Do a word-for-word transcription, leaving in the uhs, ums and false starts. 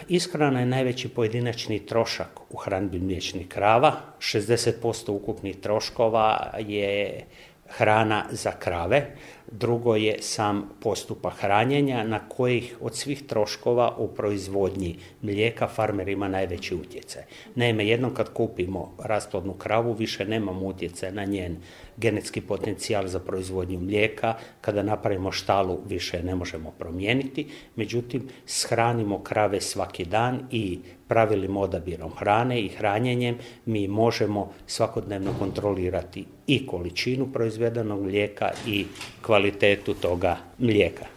ishrana je najveći pojedinačni trošak u hranidbi mliječnih krava. šezdeset posto ukupnih troškova je hrana za krave, drugo je sam postupak hranjenja na kojih od svih troškova u proizvodnji mlijeka farmer ima najveći utjecaj. Naime, jednom kad kupimo rasplodnu kravu, više nemamo utjecaj na njen genetski potencijal za proizvodnju mlijeka, kada napravimo štalu više ne možemo promijeniti, međutim shranimo krave svaki dan i pravilnim odabirom hrane i hranjenjem mi možemo svakodnevno kontrolirati i količinu proizvedenog mlijeka i kvalitetu toga mlijeka.